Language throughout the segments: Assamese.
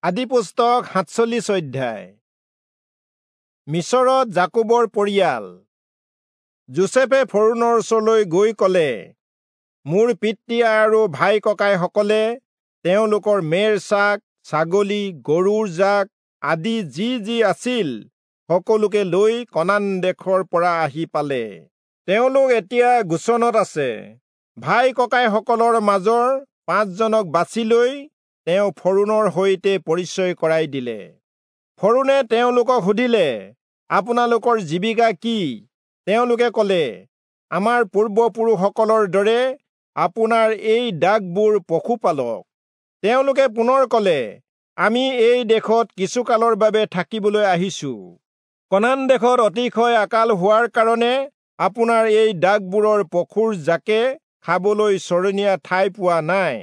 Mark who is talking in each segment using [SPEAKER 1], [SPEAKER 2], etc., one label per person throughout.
[SPEAKER 1] আদিপুস্তক 47 অধ্যায়। মিচৰত যাকোবৰ পৰিয়াল। যোচেফে ফৰৌণৰ ওচৰলৈ গৈ কলে, মোৰ পিতৃ আৰু ভাই ককাইসকলে তেওঁলোকৰ মেৰ ছাগ, ছাগলী, গৰুৰ জাক আদি যি যি আছিল সকলোকে লৈ কনান দেশৰ পৰা আহি পালে। তেওঁলোক এতিয়া গোচনত আছে। ভাই ককাইসকলৰ মাজৰ 5 জনক বাছি লৈ তেওঁ ফৰৌণৰ সৈতে পৰিচয় কৰাই দিলে। ফৰৌণে তেওঁলোকক সুধিলে, আপোনালোকৰ জীৱিকা কি? তেওঁলোকে কলে, আমাৰ পূৰ্বপুৰুষসকলৰ দৰে আপোনাৰ এই দাসবোৰ পশুপালক। তেওঁলোকে পুনৰ কলে, আমি এই দেশত কিছুকালৰ বাবে থাকিবলৈ আহিছো। কনান দেশত অতিশয় আকাল হোৱাৰ কাৰণে আপোনাৰ এই দাসবোৰৰ পশুৰ জাকে খাবলৈ চৰণীয়া ঠাই পোৱা নাই।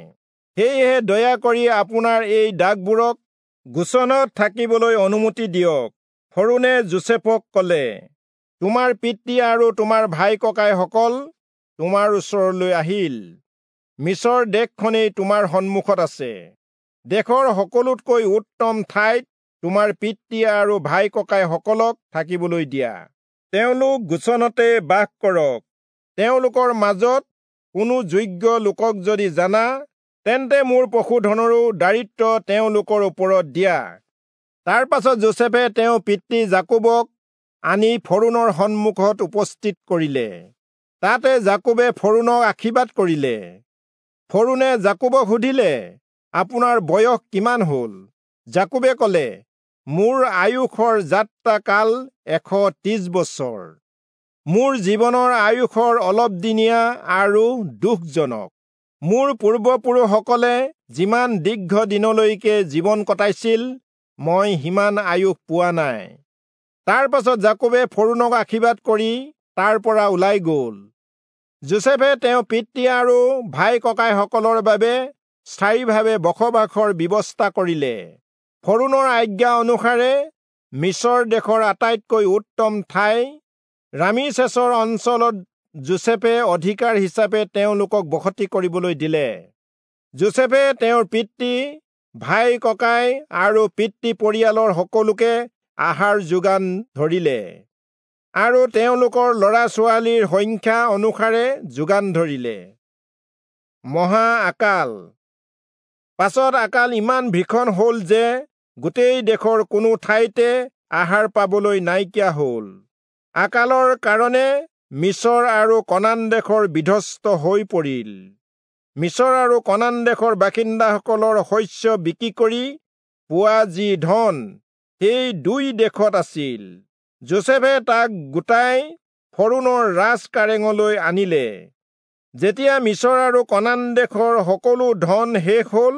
[SPEAKER 1] সেয়েহে দয়া কৰি আপোনাৰ এই দাসবোৰক গোচনত থাকিবলৈ অনুমতি দিয়ক। ফৰৌণে যোচেফক কলে, তোমাৰ পিতৃ আৰু তোমাৰ ভাই ককাইসকল তোমাৰ ওচৰলৈ আহিল। মিচৰ দেশখনেই তোমাৰ সন্মুখত আছে। দেশৰ সকলোতকৈ উত্তম ঠাইত তোমাৰ পিতৃ আৰু ভাই ককাইসকলক থাকিবলৈ দিয়া। তেওঁলোক গোচনতে বাস কৰক। তেওঁলোকৰ মাজত কোনো যোগ্য লোকক যদি জানা, তেন্তে মোৰ পশুধনৰো দায়িত্ব তেওঁলোকৰ ওপৰত দিয়া। তাৰ পাছত যোচেফে তেওঁ পিতৃ যাকোবক আনি ফৰৌণৰ সন্মুখত উপস্থিত কৰিলে। তাতে যাকোবে ফৰৌণক আশীৰ্বাদ কৰিলে। ফৰৌণে যাকোবক সুধিলে, আপোনাৰ বয়স কিমান হ'ল? যাকোবে কলে, মোৰ আয়ুসৰ যাত্ৰা কাল 130 বছৰ। মোৰ জীৱনৰ আয়ুসৰ অলপ দিনীয়া আৰু দুখজনক। মোৰ পূৰ্বপুৰুষসকলে যিমান দীৰ্ঘ দিনলৈকে জীৱন কটাইছিল, মই সিমান আয়ুস পোৱা নাই। তাৰ পাছত যাকোবে ফৰৌণক আশীৰ্বাদ কৰি তাৰ পৰা ওলাই গ'ল। যোচেফে তেওঁ পিতৃ আৰু ভাই ককাইসকলৰ বাবে স্থায়ীভাৱে বসবাসৰ ব্যৱস্থা কৰিলে। ফৰৌণৰ আজ্ঞা অনুসাৰে মিচৰ দেশৰ আটাইতকৈ উত্তম ঠাই ৰামিচেছৰ অঞ্চলত যোচেফে অধিকাৰ হিচাপে তেওঁলোকক বসতি কৰিবলৈ দিলে। যোচেফে তেওঁৰ পিতৃ, ভাই ককাই আৰু পিতৃ পৰিয়ালৰ সকলোকে আহাৰ যোগান ধৰিলে আৰু তেওঁলোকৰ ল'ৰা ছোৱালীৰ সংখ্যা অনুসাৰে যোগান ধৰিলে। মহা আকাল। পাছত আকাল ইমান ভীষণ হ'ল যে গোটেই দেশৰ কোনো ঠাইতে আহাৰ পাবলৈ নাইকিয়া হ'ল। আকালৰ কাৰণে মিচৰ আৰু কনান দেশৰ বিধ্বস্ত হৈ পৰিল। মিচৰ আৰু কনান দেশৰ বাসিন্দাসকলৰ শস্য বিক্ৰী কৰি পোৱা যি ধন, সেই দুই দেশত আছিল। যোচেফে তাক গোটাই ফৰৌণৰ ৰাজকাৰেঙলৈ আনিলে। যেতিয়া মিচৰ আৰু কনান দেশৰ সকলো ধন শেষ হ'ল,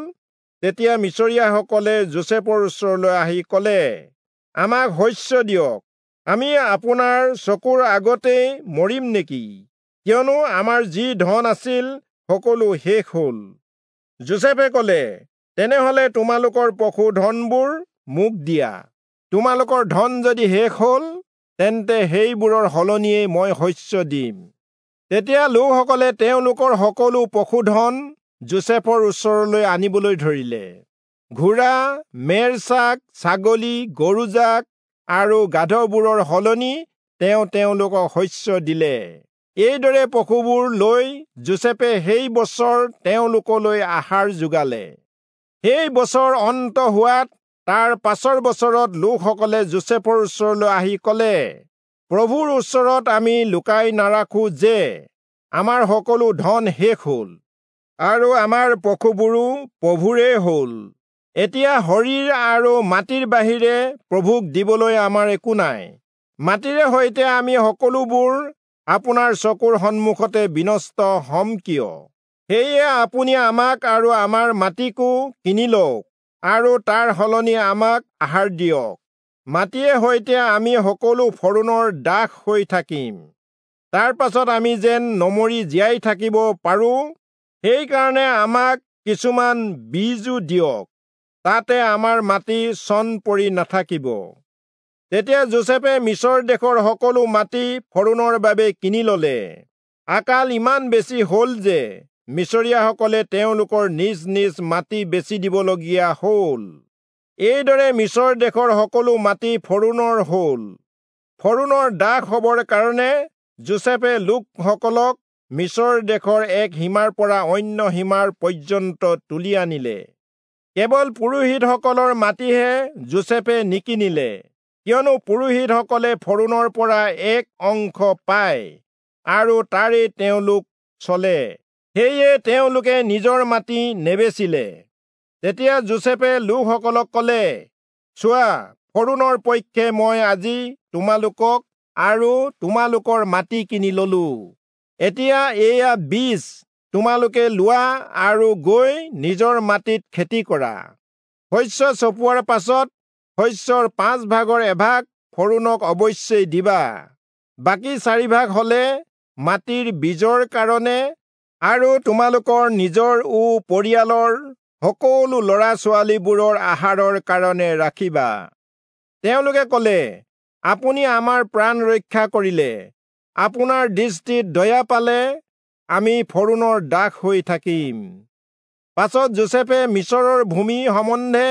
[SPEAKER 1] তেতিয়া মিচৰীয়াসকলে যোচেফৰ ওচৰলৈ আহি কলে, আমাক শস্য দিয়ক, আমি আপোনাৰ চকুৰ আগতেই মৰিম নেকি? কিয়নো আমাৰ যি ধন আছিল সকলো শেষ হ'ল। যোচেফে কলে, তেনেহলে তোমালোকৰ পশুধনবোৰ মোক দিয়া। তোমালোকৰ ধন যদি শেষ হ'ল, তেন্তে সেইবোৰৰ সলনিয়েই মই শস্য দিম। তেতিয়া লোকসকলে তেওঁলোকৰ সকলো পশুধন যোচেফৰ ওচৰলৈ আনিবলৈ ধৰিলে। ঘোঁৰা, মেৰ ছাগ, ছাগলী, গৰুজাক আৰু গাধবোৰৰ সলনি তেওঁ তেওঁলোকক শস্য দিলে। এইদৰে পশুবোৰ লৈ যোচেফে সেই বছৰ তেওঁলোকলৈ আহাৰ যোগালে। সেই বছৰ অন্ত হোৱাত তাৰ পাছৰ বছৰত লোকসকলে যোচেফৰ ওচৰলৈ আহি কলে, প্ৰভুৰ ওচৰত আমি লুকাই নাৰাখো যে আমাৰ সকলো ধন শেষ হ'ল আৰু আমাৰ পশুবোৰো প্ৰভুৰে হ'ল। এতিয়া শৰীৰ আৰু মাটিৰ বাহিৰে প্ৰভুক দিবলৈ আমাৰ একো নাই। মাটিৰে সৈতে আমি সকলোবোৰ আপোনাৰ চকুৰ সন্মুখতে বিনষ্ট হ'ম কিয়? সেয়ে আপুনি আমাক আৰু আমাৰ মাটিকো কিনি লওক আৰু তাৰ সলনি আমাক আহাৰ দিয়ক। মাটিয়ে সৈতে আমি সকলো ফৰৌণৰ দাস হৈ থাকিম। তাৰ পাছত আমি যেন নমৰি জীয়াই থাকিব পাৰোঁ, সেইকাৰণে আমাক কিছুমান বীজো দিয়ক, তাতে আমাৰ মাটি চন পৰি নাথাকিব। তেতিয়া যোচেফে মিচৰ দেশৰ সকলো মাটি ফৰৌণৰ বাবে কিনি ললে। আকাল ইমান বেছি হ'ল যে মিচৰীয়াসকলে তেওঁলোকৰ নিজ নিজ মাটি বেচি দিবলগীয়া হ'ল। এইদৰে মিচৰ দেশৰ সকলো মাটি ফৰৌণৰ হ'ল। ফৰৌণৰ দাস হ'বৰ কাৰণে যোচেফে লোকসকলক মিচৰ দেশৰ এক সীমাৰ পৰা অন্য সীমাৰ পৰ্যন্ত তুলি আনিলে। কেৱল পুৰোহিতসকলৰ মাটিহে যোচেফে নিকিনিলে, কিয়নো পুৰোহিতসকলে ফৰৌণৰ পৰা এক অংশ পায় আৰু তাৰে তেওঁলোক চলে। সেয়ে তেওঁলোকে নিজৰ মাটি নেবেচিলে। তেতিয়া যোচেফে লোকসকলক ক'লে, চোৱা, ফৰৌণৰ পক্ষে মই আজি তোমালোকক আৰু তোমালোকৰ মাটি কিনি ললো। এতিয়া এয়া বীজ তোমালোকে লোৱা আৰু গৈ নিজৰ মাটিত খেতি কৰা। শস্য চপোৱাৰ পাছত শস্যৰ 5 ভাগৰ এভাগ ফৰৌণক অৱশ্যেই দিবা। বাকী 4 ভাগ হলে মাটিৰ বীজৰ কাৰণে আৰু তোমালোকৰ নিজৰ ও পৰিয়ালৰ সকলো ল'ৰা ছোৱালীবোৰৰ আহাৰৰ কাৰণে ৰাখিবা। তেওঁলোকে ক'লে, আপুনি আমাৰ প্ৰাণ ৰক্ষা কৰিলে, আপোনাৰ দৃষ্টিত দয়া পালে আমি ফৰৌণৰ দাস হৈ থাকিম। পাছত যোচেফে মিচৰৰ ভূমি সম্বন্ধে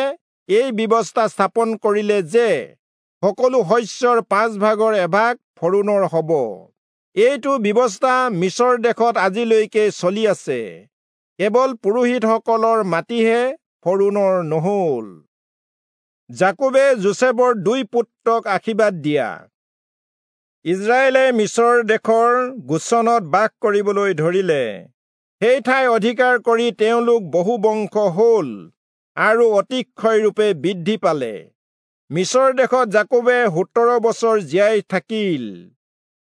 [SPEAKER 1] এই ব্যৱস্থা স্থাপন কৰিলে যে সকলো শস্যৰ 5 ভাগৰ এভাগ ফৰৌণৰ হ'ব। এইটো ব্যৱস্থা মিচৰ দেশত আজিলৈকে চলি আছে। কেৱল পুৰোহিতসকলৰ মাটিহে ফৰৌণৰ নহ'ল। যাকোবে যোচেফৰ 2 পুত্ৰক আশীৰ্বাদ দিয়া। ইজৰাইলে মিচৰ দেশৰ গোচনত বাস কৰিবলৈ ধৰিলে। সেই ঠাই অধিকাৰ কৰি তেওঁলোক বহু বংশ হ'ল আৰু অতিশয়ৰূপে বৃদ্ধি পালে। মিচৰ দেশত যাকোবে 17 বছৰ জীয়াই থাকিল।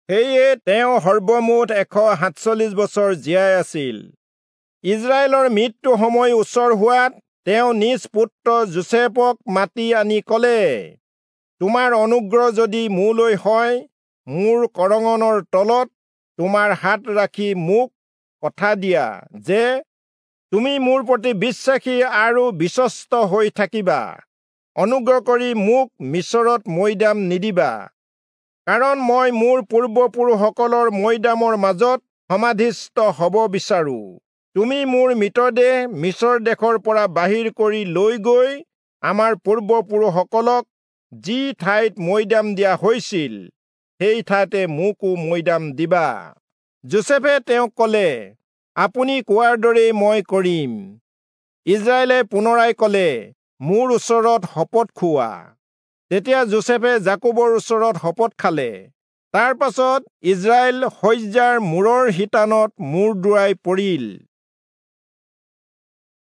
[SPEAKER 1] সেয়ে তেওঁ সৰ্বমুঠ 147 বছৰ জীয়াই আছিল। ইজৰাইলৰ মৃত্যু সময় ওচৰ হোৱাত তেওঁ নিজ পুত্ৰ যোচেফক মাতি আনি ক'লে, তোমাৰ অনুগ্ৰহ যদি মোলৈ হয়, মোৰ কৰঙনৰ তলত তোমাৰ হাত ৰাখি মোক কথা দিয়া যে তুমি মোৰ প্ৰতি বিশ্বাসী আৰু বিশ্বস্ত হৈ থাকিবা। অনুগ্ৰহ কৰি মোক মিচৰত মৈদাম নিদিবা, কাৰণ মই মোৰ পূৰ্বপুৰুষসকলৰ মৈদামৰ মাজত সমাধিস্থ হ'ব বিচাৰো। তুমি মোৰ মৃতদেহ মিচৰ দেশৰ পৰা বাহিৰ কৰি লৈ গৈ আমাৰ পূৰ্বপুৰুষসকলক যি ঠাইত মৈদাম দিয়া হৈছিল সেই ঠাইতে মোকো মৈদাম দিবা। যোচেফে তেওঁক ক'লে, আপুনি কোৱাৰ দৰেই মই কৰিম। ইজৰাইলে পুনৰাই ক'লে, মোৰ ওচৰত শপত খোৱা। তেতিয়া যোচেফে যাকোবৰ ওচৰত শপত খালে। তাৰ পাছত ইজৰাইল শয্যাৰ মূৰৰ শিতানত মূৰ দোৱাই পৰিল।